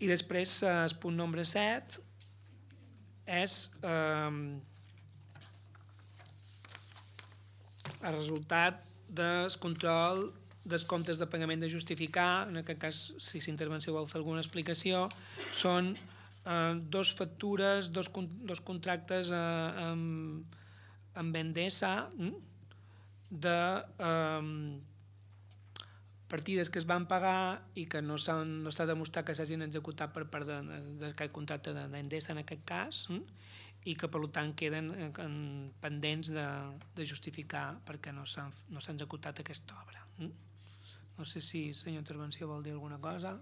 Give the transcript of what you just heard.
I després el punt nombre 7 és el resultat del control dels comptes de pagament de justificar. En aquest cas, si l'intervenció vol fer alguna explicació, són dos factures, dos contractes amb Endesa de partides que es van pagar i que no s'ha demostrat que s'hagin executat per part d'aquest contracte d'Endesa en aquest cas, i que per tant queden pendents de justificar perquè no s'ha executat aquesta obra. No sé si la senyora intervenció vol dir alguna cosa.